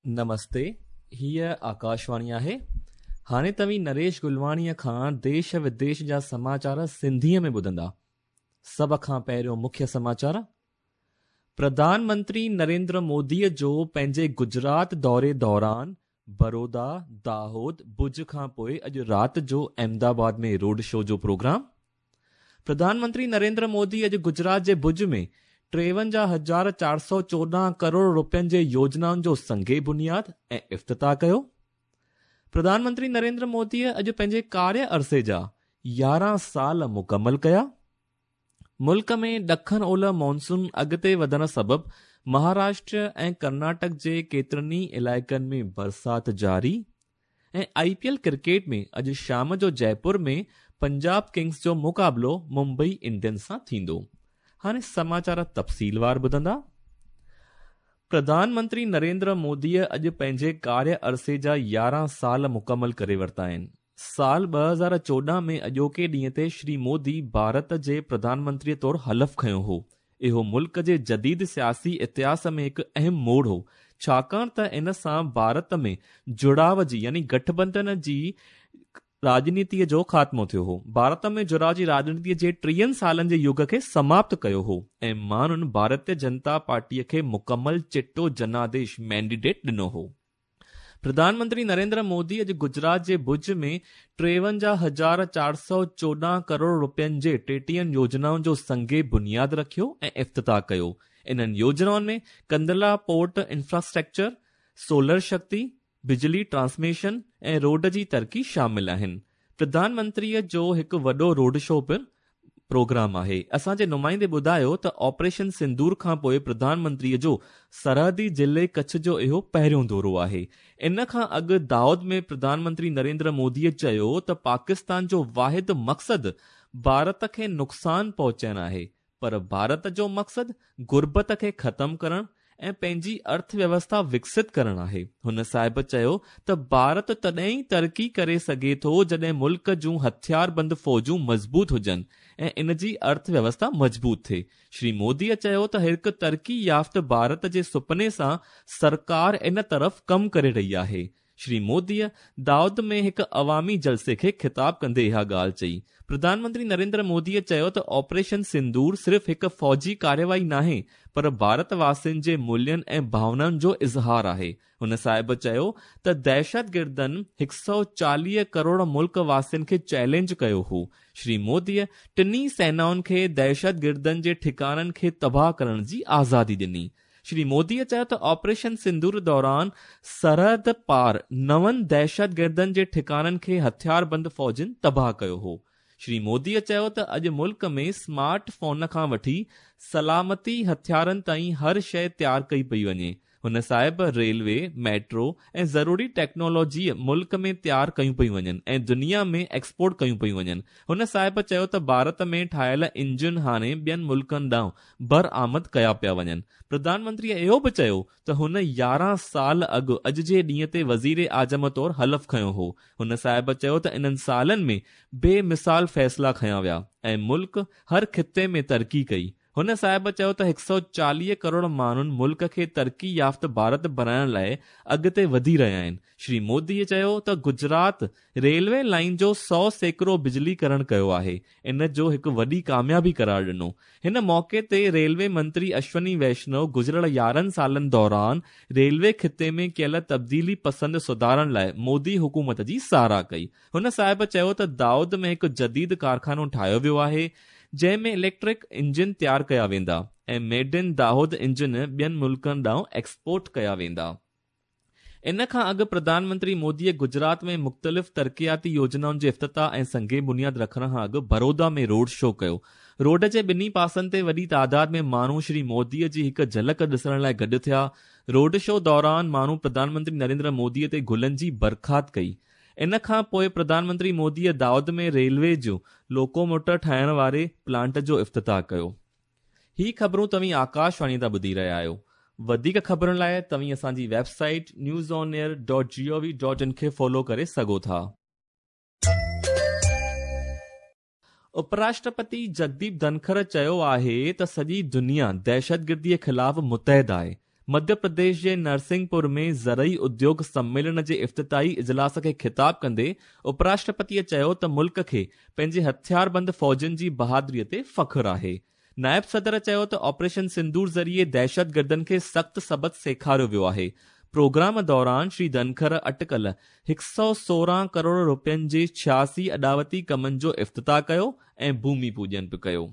نمستي، هيء آڪاشواڻي آهي. هاڻي توهين نريش گلواڻيء کان ديش وديش جا سماچار سنڌيء ۾ ٻڌندا. سڀ کان پهريون مکيه سماچار. پرڌان منتري نريندر موديء جو پنهنجي گجرات دوري دوران برودا، داهود، ڀڄ کان پوء اڄ رات جو احمدآباد ۾ روڊ شو جو پروگرام. پرڌان منتري نريندر مودي اڄ گجرات جي ڀڄ ۾ 53414 ڪروڙ روپين جي يوجنائن جو سنگ بنياد ۽ افتتاح ڪيو. پرڌان منتري نريندر موديء اڄ پنهنجي ڪاريه عرصي جا 11 سال مڪمل ڪيا. ملڪ ۾ ڏکڻ اولهه مانسون اڳتي وڌڻ سبب مهاراشٽر ۽ ڪرناٽڪ جي ڪيترن ئي علائقن ۾ برسات جاري ۽ آء پي ايل ڪرڪيٽ ۾ اڄ شام جو جئپور ۾ پنجاب ڪنگز جو مقابلو ممبئي انڊينز سان ٿيندو. هاڻي سماچار تفصيلوار ٻڌندا. پرڌان منتري نريندر موديء اڄ پنهنجي ڪاريه عرصي جا 11 سال مڪمل ڪري ورتا آهن. سال 2014 ۾ اڄوڪي ڏينهن تي شري مودي ڀارت جي پرڌان منتريء طور حلف کنيو هو. اهو ملڪ جي جديد سياسي اتهاس ۾ هڪ اهم موڙ هو، ڇاڪاڻ ته ان سان ڀارت ۾ جڙاء جي يعني گٺبنڌن جي راڄنيتيء جو خاتمو ٿيو هو. ڀارت ۾ جڙاء جي راڄنيتيء جي ٽيهن سالن جي يگ کي سماپت ڪيو هو ۽ ماڻهن ڀارتيه جنتا پارٽيء کي مڪمل چٽو جناديش، مينڊيٽ، ڏنو هو. پرڌان منتري نريندر مودي اڄ گجرات جي ڀڄ ۾ 53414 ڪروڙ روپين جي ٽيٽيهن يوجنائن جو سنگ بنياد رکيو ۽ افتتاح ڪيو. انهن يوجنائن ۾ ڪندلا پورٽ انفراسٽرڪچر، سولر شڪتي، بجلي ٽرانسميشن ۽ روڊ جي ترقي شامل آهن. پرڌان منتريء جو هڪ وڏو روڊ شو پڻ پروگرام آهي. اسان جي نمائندي ٻڌايو ته آپريشن سندور کان پوء پرڌان منتريء جو سرحدي ضلعي ڪڇ جو اهو پهريون دورو آهي. ان کان اڳ داهود ۾ پرڌان منتري نريندر موديء چيو ته پاڪستان جو واحد مقصد ڀارت کي نقصان پهچائڻ آهي پر ڀارت جو مقصد غربت کي ختم ڪرڻ ۽ پنهنجي ارٿ ويوسٿا وڪست ڪرڻ آهي. هن صاحب چيو ته ڀارت تڏهن ئي ترقي ڪري سگهي ٿو جڏهن ملڪ جون هٿياربند فوجون مضبوط هجن ۽ ان جي ارٿ ويوسٿا مضبوط ٿئي. شري موديء چيو ته هڪ ترقي يافته ڀارت جي سپني سان سرڪار ان طرف ڪم ڪري رهي آهي. شري موديء داهود ۾ هڪ عوامي جلسي کي خطاب ڪندي اها ڳالهه چئي. پرڌان منتري نريندر موديء چيو ته آپريشن سندور صرف هڪ فوجي ڪارروائي ناهي پر ڀارت واسين جي مولين ۽ ڀاونائن جو اظهار آهي. هن صاحب چيو ته دهشتگردن 140 ڪروڙ ملڪ واسين کي چئلينج ڪيو هو. شري موديء ٽنهي سينائن کي دهشتگردن جي ٺڪاڻن کي تباهه ڪرڻ جي آزادي ڏني. شري موديء چيو ته آپريشن سندور دوران سرحد پار نون دهشتگردن جي ٺڪاڻن کي هٿياربند فوجن تباهه ڪيو هو. شري موديء چيو ته اڄ ملڪ ۾ سمارٽ فون کان وٺي سلامتي هٿيارن تائين هر شيء تيار ڪئي پئي وڃي. هن صاحب ريلوي، ميٽرو ۽ ضروري ٽيڪنالاجي ملڪ ۾ تيار ڪيون پيون وڃن ۽ دنيا ۾ ايڪسپورٽ ڪيون پيون وڃن. هن صاحب چيو ته ڀارت ۾ ٺاهيل انجن هاڻي ٻين ملڪن ڏانهن برآمد ڪيا پيا وڃن. پرڌان منتريء اهو به چيو ته هن 11 سال اڳ اڄ جي ڏينهن تي وزيراعظم طور حلف کنيو هو. هن صاحب چيو ته انهن سالن ۾ بي مثال فيصلا کنيا ويا ۽ ملڪ هر خطي ۾ ترقي ڪئي. هن صاحب چيو ته 140 ڪروڙ ماڻهن ملڪ کي ترقي يافته ڀارت بڻائڻ لاء اڳتي وڌي رهيا آهن. شري موديء چيو ته گجرات ريلوي لائين جو 100% بجلي ڪرڻ ڪيو آهي، ان جو هڪ وڏي ڪاميابي قرار ڏنو. هن موقعي تي ريلوي منتري اشوني ويشنو گذريل 11 سالن دوران ريلوي خطي ۾ ڪيل تبديلي پسند سڌارن لاء مودي حڪومت جي ساراهه ڪئي. هن صاحب چيو ته دائود ۾ هڪ جديد ڪارخانو ٺاهيو ويو آهي جنهن ۾ اليڪٽرڪ انجن تيار ڪيا ويندا ۽ ميڊ ان داهود انجن ٻين ملڪن ڏانهن ايڪسپورٽ ڪيا ويندا. ان کان اڳ پرڌان منتري موديء گجرات ۾ مختلف ترقياتي يوجنائن جي افتتاح ۽ سنگ بنياد رکڻ کان اڳ برودا ۾ روڊ شو ڪيو. روڊ جي ٻنهي پاسن تي وڏي تعداد ۾ ماڻهو شري موديء جي هڪ جهلڪ ڏسڻ لاء گڏ ٿيا. روڊ شو دوران ماڻهو پرڌان منتري نريندر موديء تي گلن جي برسات ڪئي. ان کان پوء پرڌان منتري موديء دائود ۾ ريلوي جو لوڪوموٽر ٺاهڻ واري پلانٽ جو افتتاح ڪيو. هي خبرون توهين آڪاشواڻي تان ٻڌي رهيا آهيو. وڌيڪ خبرن لاء توهين اسان جي website news on air dot G O V dot in کي فالو ڪري سگهو ٿا. مڌيه پرديش جي نرسنگهپور ۾ زرعي اديوگ سميلن جي افتتاحي اجلاس کي خطاب ڪندي اپراشٽرپتيء چيو ته ملڪ کي پنهنجي هٿياربند فوجن جي بهادري تي فخر آهي. نائب صدر چيو ته آپريشن سندور ذريعي دهشتگردن کي سخت سبق سيکاريو ويو آهي. پروگرام دوران شري ڌنکر اٽڪل 116 ڪروڙ رپين جي 86 اڏاوتي ڪمن جو افتتاح ڪيو ۽ ڀومي پوڄن به ڪيو.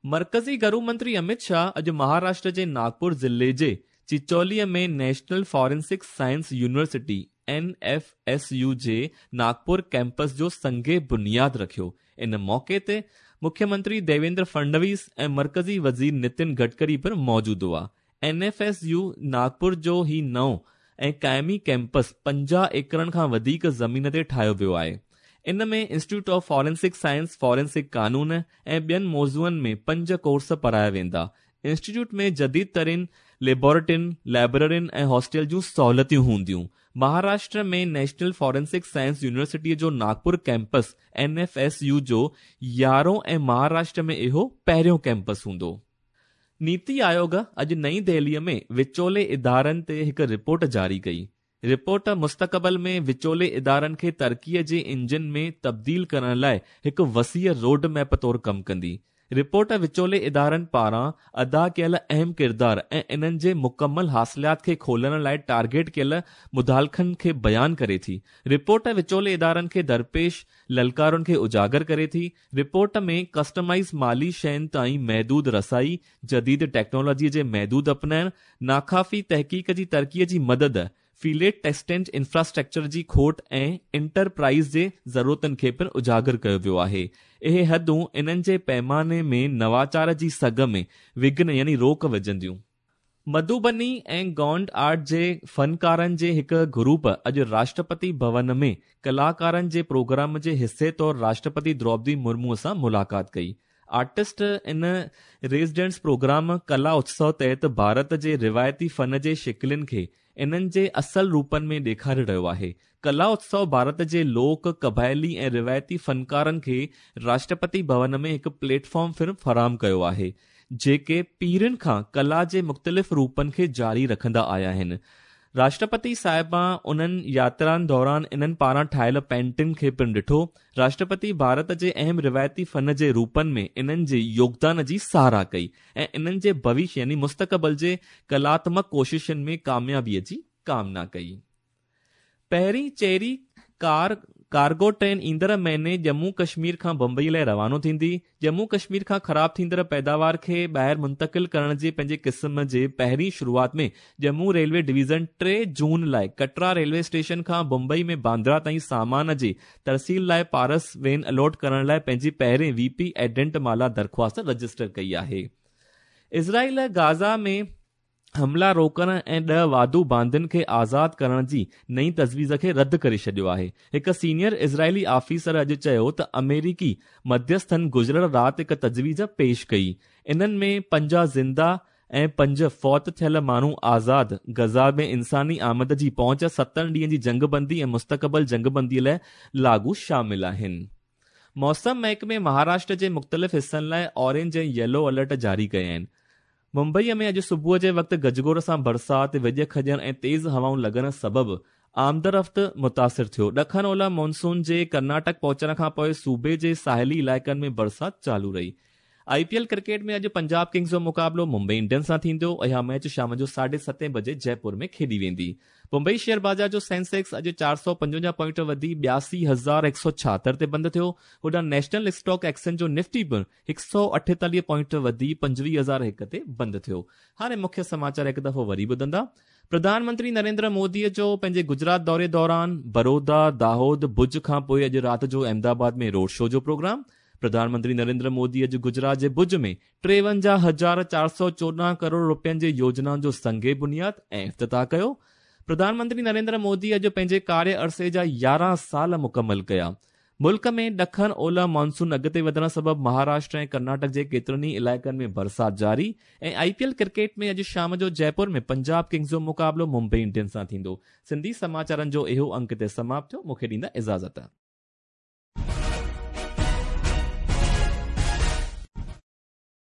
مرڪزي گهرو منتري امت شاهه اڄ مهاراشٽر جي ناگپور ضلعي جي چچولي ۾ national forensic science university, N F S U, جي ناگپور ڪيمپس جو سنگ بنياد رکيو. ان موقعي تي مکيه منتري ديويندر فڙنويس ۽ مرڪزي وزير نتن گڊڪري پڻ موجود هئا. N F S U Nagpur جو هي نئون ۽ قائمي ڪيمپس 50 ايڪڙن کان وڌيڪ زمين تي ٺاهيو ويو آهي. ان ۾ institute of forensic science, forensic قانون ۽ ٻين موضوعن ۾ پنج ڪورس پڙهايا ويندا. انسٽيٽيوٽ ۾ جديد ترين ليبارٽرين، لائبررين ۽ هاسٽل جون سهولتيون هونديون. مهاراشٽر ۾ نيشنل فارينسڪ سائنس يونيورسٽيء جو Nagpur campus N F S U جو يارهون ۽ مهاراشٽر ۾ اهو پهريون ڪيمپس هوندو. نيتي آيوگ اڄ نئين دهليء ۾ وچولي ادارن تي هڪ رپورٽ جاري ڪئي. رپورٽ مستقبل ۾ وچولي ادارن کي ترقيء جي انجن ۾ تبديل ڪرڻ لاء هڪ وسيع روڊ ميپ طور ڪم ڪندي. رپورٽ وچولي ادارن پاران ادا ڪيل اهم ڪردار ۽ انهن جي مڪمل حاصلات کي کولڻ لاء ٽارگيٽ ڪيل مداخلتن کي بيان ڪري ٿي. رپورٽ وچولي ادارن کي درپيش للڪارن کي اجاگر ڪري ٿي. رپورٽ ۾ ڪسٽمائيز مالي شين تائين محدود رسائي، جديد ٽيڪنالاجي جي محدود اپنائڻ، ناڪافي تحقيق جي ترقي جي مدد، فيلڊ ٽيسٽنگ انفراسٽرڪچر جي کوٽ ۽ انٽر پرائز جي ضرورتن کي پڻ اجاگر ڪيو ويو آهي. اهي حدون انهن جي پيماني ۾ نواچار جي سگهه ۾ وگهن يعني روڪ وجهنديون. مڌوبني ۽ گونڊ آرٽ جي فنڪارن جي هڪ گروپ اڄ راشٽرپتي ڀون ۾ ڪلاڪارن جي پروگرام جي حصي طور راشٽرپتي دروپدي مرمو سان ملاقات ڪئي. آرٽسٽ ان ريزيڊنس پروگرام ڪلا اتسو تحت ڀارت جي روايتي فن جي شڪلين کي انهن جي اصل روپن ۾ ڏيکاري رهيو آهي. ڪلا اتسو ڀارت جي لوڪ، قبائلي ۽ روايتي فنڪارن کي راشٽرپتي ڀون ۾ هڪ پليٽ فارم پڻ فراهم ڪيو آهي، جيڪي پيڙهين کان ڪلا جي مختلف روپن کي جاري رکندا آيا آهن. راشٽرپتي صاحبان انهن ياترائن دوران انهن پاران ٺاهيل پينٽنگ کي پڻ ڏٺو. راشٽرپتي ڀارت جي اهم روايتي فن جي روپن ۾ انهن جي يوگدان جي ساراهه ڪئي ۽ انهن جي ڀوشيه يعني مستقبل جي ڪلاتمڪ ڪوششن ۾ ڪاميابي جي ڪامنا ڪئي. پهرين چيري ڪار ڪارگو ٽرين ايندڙ مهيني ڄمون ڪشمير کان بمبئي لاء روانو ٿيندي. ڄمون ڪشمير کان خراب ٿيندڙ پيداوار کي ٻاهر منتقل ڪرڻ جي پنهنجي قسم جي پهرين شروعات ۾ ڄمون ريلوي ڊويزن 3 جون لاء ڪٽرا ريلوي اسٽيشن کان بمبئي ۾ باندرا تائين سامان جي ترسيل لاء پارس وين الاٽ ڪرڻ لاء پنهنجي پهرين وي پي ايڊنٽ مالا درخواست رجسٽر ڪئي آهي. اسرائيل غازه ۾ حملا روڪڻ ۽ 10 واڌو باندين کي آزاد ڪرڻ جي نئين تجويز کي رد ڪري ڇڏيو آهي. هڪ سينيئر اسرائيلي آفيسر اڄ چيو ته آمريڪي مڌيسٿن گذريل رات هڪ تجويز پيش ڪئي. انهن ۾ 50 زنده ۽ 5 فوت ٿيل ماڻهو آزاد، غزه ۾ انساني آمد جي پهچ، ستن ڏينهن جي جنگبندي ۽ مستقبل جنگبندي لاء لاڳو شامل آهن. موسم محڪمي مهاراشٽر جي مختلف حصن لاء اورينج ۽ ييلو الرٽ جاري ڪيا آهن. ممبئي ۾ اڄ صبح جي وقت گجگوڙ سان برسات، وڄ کڄڻ ۽ تيز هوائون لڳڻ سبب آمدرفت متاثر ٿيو. ڏکڻ اولهه مونسون جي ڪرناٽڪ پهچڻ کانپوء صوبي جي ساحلي علائقن ۾ برسات چالو رهي. آء پي ايل ڪرڪيٽ ۾ اڄ پنجاب ڪنگز جو مقابلو ممبئي انڊينز سان ٿيندو. اها ميچ شام جو ساڍي ستين بجي جئپور ۾ کيڏي ويندي. ممبئي شيئر بازار جو سينسيڪس اڄ 455 پوائنٽ وڌي 82,176 تي بند ٿيو. هوڏانهن نيشنل اسٽاڪ ايڪسچينج جو نفٽي پڻ 148 پوائنٽ وڌي 25,001 تي بند ٿيو. هاڻي مکيه سماچار هڪ دفعو وري ٻڌندا. پرڌان منتري نريندر مودي جو پنهنجي گجرات دوري دوران برودا، داهود، ڀڄ کانپوء اڄ رات جو احمد آباد ۾ روڊ شو جو پروگرام. پرڌان منتري نريندر مودي اڄ گجرات جي ڀڄ ۾ 53,414 ڪروڙ رپين جي يوجنائن جو سنگ بنياد ۽ افتتاح ڪيو. پرڌان منتري نريندر مودي اڄ پنهنجي ڪاري عرصي جا 11 سال مڪمل ڪيا. ملڪ ۾ ڏکڻ اولهه مانسون اڳتي وڌڻ سبب مهاراشٽر ۽ ڪرناٽڪ جي ڪيترن ئي علائقن ۾ برسات جاري ۽ آء پي ايل ڪرڪيٽ ۾ اڄ شام جو جئپور ۾ پنجاب ڪنگز جو مقابلو ممبئي انڊينز سان ٿيندو. سنڌي سماچارن جو اهو انڪ هتي سماپت ٿيو. مون کي ڏيندا اجازت.